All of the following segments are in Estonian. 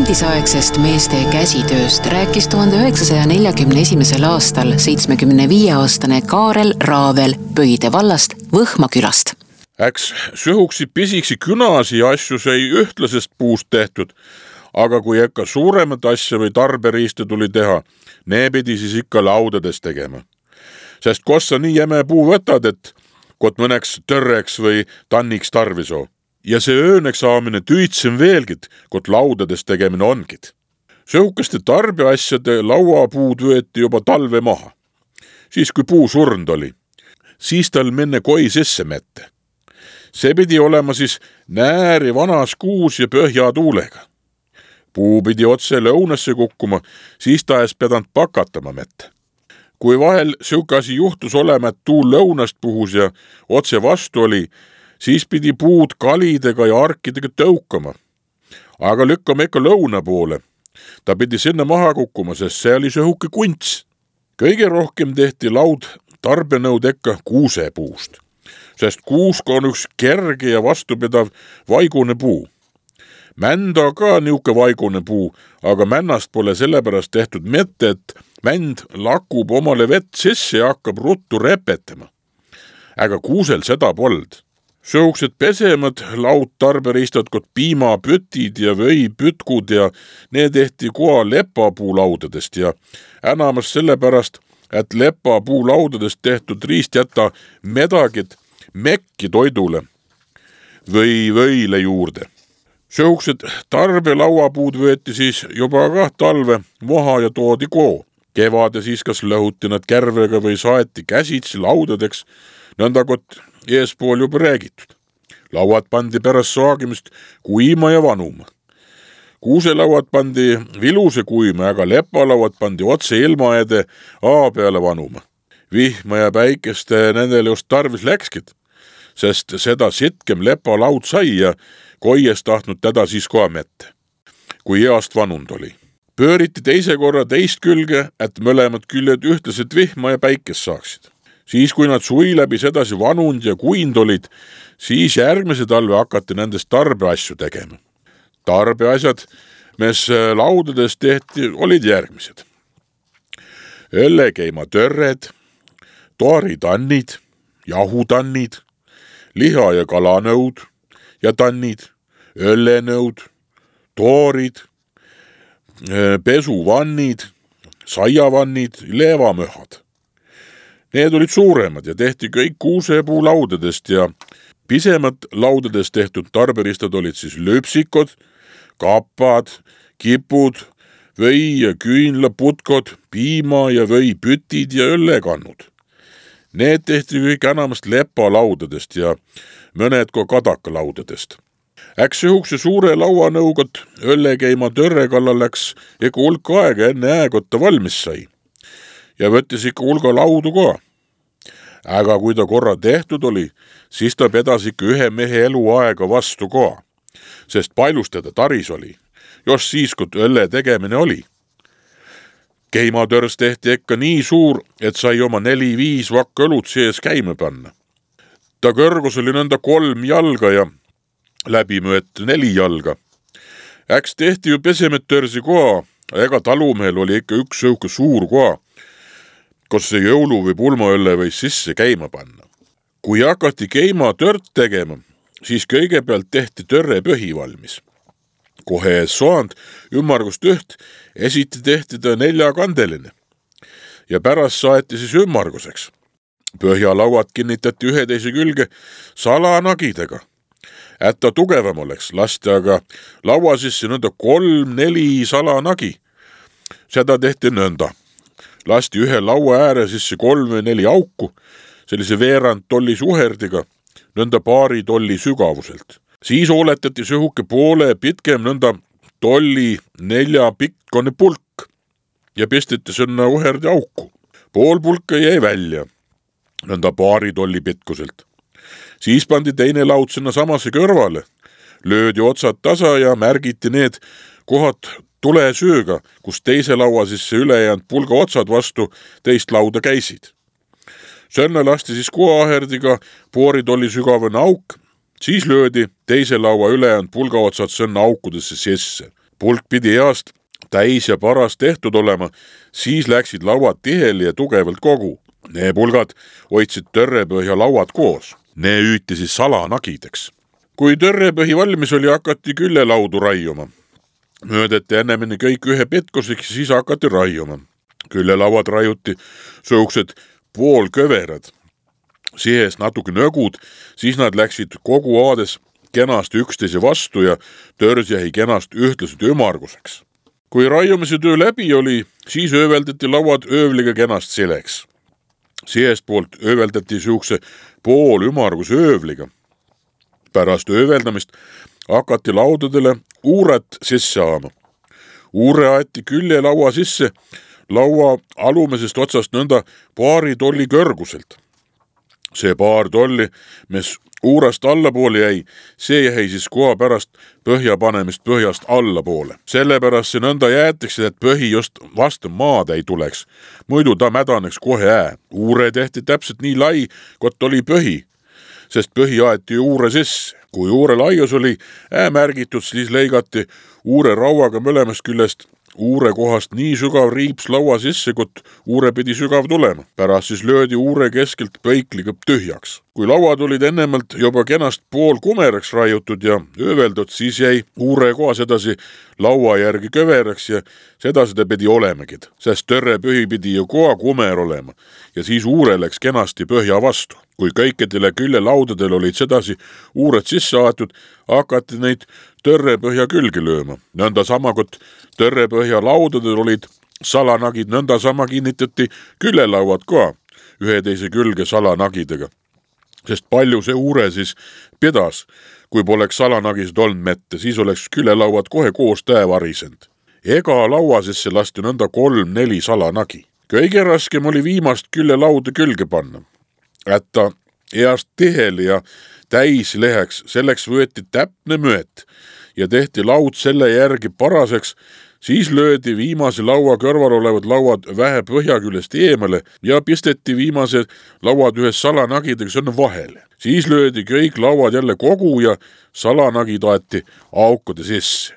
endisaegsest meeste käsitööst rääkis 1941. aastal 75-aastane Kaarel Raavel Pöide vallast Võhma külast. Äks söhuksi pisiksi künasi asju sai ühtlasest puust tehtud, aga kui ikka suuremat asja või tarberiiste tuli teha, ne pidi siis ikka laudades tegema. Sest kos sa nii jäme puu võtad, et kot mõneks törreks või tanniks tarvisoo. Ja see ööneks saamine tüütsim veelgit, kot laudades tegemine ongid. Söhukaste tarbeasjade lauapuud võeti juba talve maha. Siis kui puu surnd oli, siis tal menne koi sisse mette. See pidi olema siis nääri vanas kuus ja põhja tuulega. Puu pidi otse lõunasse kukkuma, siis ta ees pedant pakatama mette. Kui vahel söhuke asi juhtus olema, et tuul lõunast puhus ja otse vastu oli, siis pidi puud kalidega ja arkidega tõukama. Aga lükkama ikka lõuna poole. Ta pidi sinna maha kukkuma, sest see oli söhuke kunts. Kõige rohkem tehti laud tarbenõud ikka kuusepuust, sest kuusk on üks kerge ja vastupidav vaigune puu. Mända ka niuke vaigune puu, aga männast pole sellepärast tehtud mette, et mänd lakub omale vett sisse ja hakkab ruttu repetama. Aga kuusel seda pold. Söhuksed pesemad laud tarberiistad kot piimapütid ja võipütkud ja need tehti koha lepapuulaudadest ja enamas sellepärast, et lepapuulaudadest tehtud riist jätta medagid mekki toidule või võile juurde. Söhuksed tarbelauapuud võeti siis juba ka talve maha ja toodi koo. Kevade siis kas lõhuti nad kärvega või saeti käsitsi laudadeks, nõnda kot eespool juba räägitud. Lauad pandi pärast saagimist kuima ja vanuma. Kuuselauad pandi viluse kuima, aga lepalauad pandi otse ilmaede aa peale vanuma. Vihma ja päikeste nendele just tarvis läkskid, sest seda sitkem lepalaud sai ja koies tahtnud teda siis koha mette, kui east vanund oli. Pööriti teise korra teist külge, et mõlemad küljed ühtlaselt vihma ja päikest saaksid. Siis, kui nad suvi läbi sedasi vanund ja kuind olid, siis järgmise talve hakati nendest tarbeasju tegema. Tarbeasjad, mis laudades tehti, olid järgmised. Õllekeimatörred, toaritannid, jahutannid, liha- ja kalanõud ja tannid, õllenõud, toorid, pesuvannid, saiavannid, leevamöhad. Need olid suuremad ja tehti kõik kuusepuu laudadest ja pisemad laudadest tehtud tarberistad olid siis löpsikod, kapad, kipud, või- ja küünlaputkod, piima- ja võipütid ja õllekannud. Need tehti kõik enamast lepalaudadest ja mõned ka kadakalaudadest. Äks söhukse suure lauanõugot õllekeima törre kallal läks ikka hulk aega enne äägotta valmis sai ja võttis ikka hulga laudu ka. Aga kui ta korra tehtud oli, siis ta pedas ikka ühe mehe eluaega vastu ka, sest pailus teda taris oli, just siis, kui õlle tegemine oli. Keimatörst tehti ikka nii suur, et sai oma 4-5 vakka õlut sees käima panna. Ta kõrgus oli nõnda 3 jalga ja läbimõet 4 jalga. Äks tehti ju pesemetörsi koha, ega talumehel oli ikka üks sõuke suur koha, kus see jõulu või pulmaõlle võis sisse käima panna. Kui hakati keimatört tegema, siis kõigepealt tehti törre põhi valmis. Kohe ees soand ümmargust üht esiti tehti ta 4-kandeline ja pärast saeti siis ümmarguseks. Põhjalauad kinnitati ühe teise külge salanagidega. Et ta tugevam oleks, lasti aga laua sisse nõnda 3-4 salanagi. Seda tehti nõnda. Lasti ühe laua ääre sisse 3-4 auku, sellise veerand tolli suherdiga, nõnda paari tolli sügavuselt. Siis ooletati söhuke poole pitkem nõnda tolli 4 pikkone pulk ja pistiti sõnna uherdi auku. Pool pulka jäi välja, nõnda paari tolli pitkuselt. Siis pandi teine laud sinna samasse kõrvale, löödi otsad tasa ja märgiti need kohad tulesööga, kus teise laua sisse ülejäänud pulga otsad vastu teist lauda käisid. Sõnna lasti siis kuaaherdiga poori tolli sügavane auk, siis löödi teise laua ülejäänud pulga otsad sõnna aukudesse sisse. Pulk pidi heast täis ja paras tehtud olema, siis läksid lauad tiheli ja tugevalt kogu. Nee pulgad hoidsid törrepõhja lauad koos. Nee hüüti siis salanagideks. Kui törrepõhi valmis oli, hakati küllelaudu raiuma. Möödeti ennemini kõik ühe petkuseks ja siis hakati raiuma. Küllelauad raiuti suuksed poolköverad. Sihes natuke nõgud, siis nad läksid kogu aades kenasti üksteise vastu ja törs jäi kenast ühtlaselt ümarguseks. Kui raiumise töö läbi oli, siis ööveldati lauad öövliga kenast sileks. Sihest poolt ööveldati suukse pool ümargus öövliga. Pärast ööveldamist hakati laudadele uuret sisse aama. Uure aeti küljelaua sisse laua alumisest otsast nõnda paari tolli kõrguselt. See paar tolli, mis uurast allapoole jäi, see jäi siis koha pärast põhja panemist põhjast allapoole. Sellepärast see nõnda jäetakse, et põhi just vastu maad ei tuleks. Muidu ta mädaneks kohe Uure tehti täpselt nii lai, kot oli põhi, sest põhi aeti uure sisse. Kui uure laius oli märgitud, siis leigati uure rauaga mõlemast küljest uure kohast nii sügav riips laua sisse, kot uure pidi sügav tulema. Pärast siis löödi uure keskelt põikliga tühjaks. Kui lauad olid ennemalt juba kenast pool kumeraks raiutud ja ööveldud, siis jäi uure kohas edasi laua järgi köveraks ja seda pidi olemegi, sest törrepõhi pidi ju koha kumer olema ja siis uure läks kenasti põhja vastu. Kui kõikidele küljelaudadel olid sedasi uured sisse aetud, hakati neid törrepõhja külge lööma. Nõnda sama, kot törrepõhja laudadel olid salanagid, nõnda sama kinnitati küljelauad ka ühe teise külge salanagidega. Sest palju see uure siis pidas, kui poleks salanagisid olnud mette, siis oleks küljelauad kohe koos varisend. Ega laua sisse lasti nõnda 3-4 salanagi. Kõige raskem oli viimast küljelauda külge panna. Että heast tiheli ja täis leheks, selleks võeti täpne mööt ja tehti laud selle järgi paraseks, siis löödi viimase laua kõrval olevad lauad vähe põhja küljest eemale ja pisteti viimased lauad ühes salanagidega sinna vahele. Siis löödi kõik lauad jälle kogu ja salanagid aeti aukude sisse.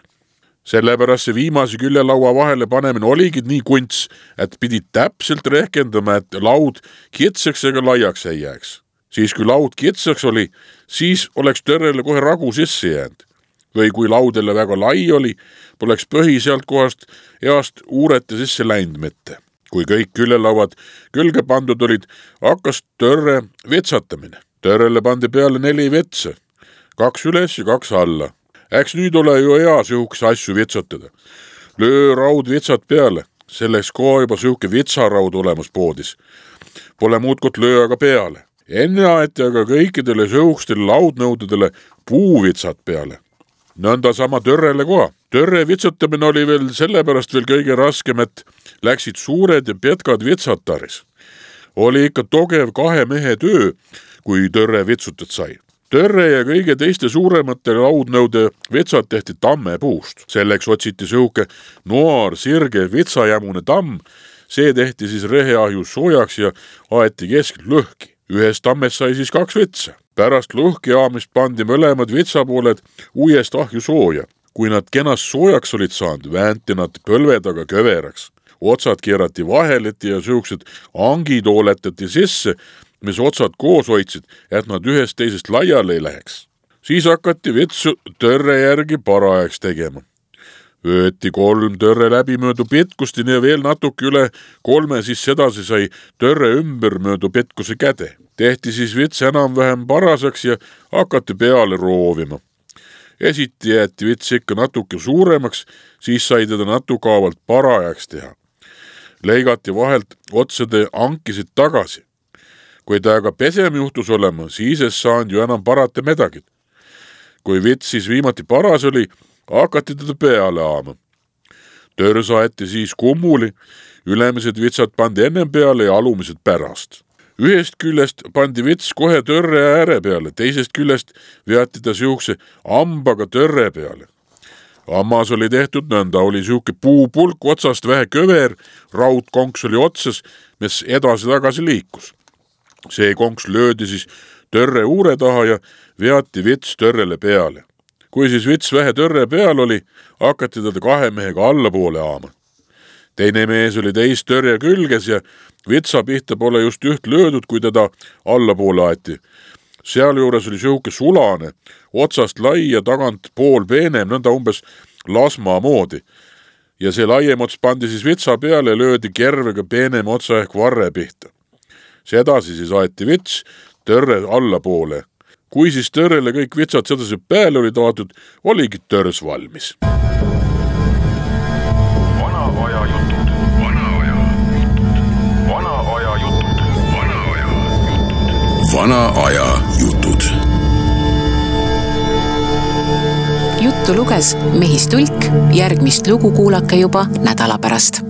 Sellepärast see viimase küljelaua vahele panemine oligi nii kunts, et pidi täpselt rehkendama, et laud kitsaks ega laiaks ei jääks. Siis kui laud kitsaks oli, siis oleks törrele kohe ragu sisse jäänud. Või kui laudele väga lai oli, poleks põhi sealt kohast heast uurete sisse läinud mitte. Kui kõik küljelauad külge pandud olid, hakkas törre vitsatamine. Törrele pandi peale 4 vitsa, 2 üles ja 2 alla. Äks nüüd ole ju hea sihukese asju vitsatada. Löö raud vitsad peale, selleks koha juba sihuke vitsaraud olemas poodis. Pole muud kot löö aga peale. Enne aeti aga kõikidele sihukestele laudnõudadele puuvitsad peale. Nõnda sama törrele koha. Törre vitsatamine oli veel sellepärast veel kõige raskem, et läksid suured ja petkad vitsad taris. Oli ikka togev 2 mehe töö, kui törre vitsutat sai. Törre ja kõige teiste suuremate laudnõude vitsad tehti tammepuust. Selleks otsiti sihuke noor, sirge, vitsajämune tamm. See tehti siis reheahju soojaks ja aeti keskelt lõhki. Ühest tammest sai siis 2 vitsa. Pärast lõhki aamist pandi mõlemad vitsapooled uuest ahju sooja. Kui nad kenast soojaks olid saanud, väänti nad põlve taga köveraks. Otsad keerati vaheleti ja sihukesed angid ooletati sisse, mis otsad koos hoidsid, et nad ühest teisest laiali ei läheks. Siis hakati vitsu törre järgi parajaks tegema. Võeti 3 törre läbimöödu pitkustini ja veel natuke üle 3, siis sedasi sai törre ümber möödu pitkuse käde. Tehti siis vits enam-vähem paraseks ja hakati peale roovima. Esiti jäeti vits ikka natuke suuremaks, siis sai teda natukaavalt parajaks teha. Leigati vahelt otsade ankisid tagasi. Kui ta aga pesem juhtus olema, siis ei saanud ju enam parata midagi. Kui vits siis viimati paras oli, hakati teda peale aama. Tör saeti siis kummuli, ülemised vitsad pandi ennem peale ja alumised pärast. Ühest küljest pandi vits kohe törre ääre peale, teisest küljest veati ta sihukese ambaga törre peale. Ammas oli tehtud nõnda, oli sihuke puupulk otsast vähe köver, raudkonks oli otsas, mis edasi-tagasi liikus. See konks löödi siis törre uure taha ja veati vits törrele peale. Kui siis vits vähe tõrre peal oli, hakati teda 2 mehega allapoole aama. Teine mees oli teist tõrje külges ja vitsa pihta pole just üht löödud, kui teda allapoole aeti. Sealjuures oli sihuke sulane, otsast lai ja tagant pool peenem, nõnda umbes lasma moodi. Ja see laiem ots pandi siis vitsa peale ja löödi kervega peenem otsa ehk varre pihta. Sedasi siis aeti vits tõrre allapoole. Kui siis tõrrele kõik vitsad sedasi peale oli taotud, oligi tõrs valmis. Vana-aja jutud, vana-aja jutud, vana-aja jutud, vana-aja jutud. Vana-aja jutud. Juttu luges Mehis Tulk, järgmist lugu kuulake juba nädala pärast.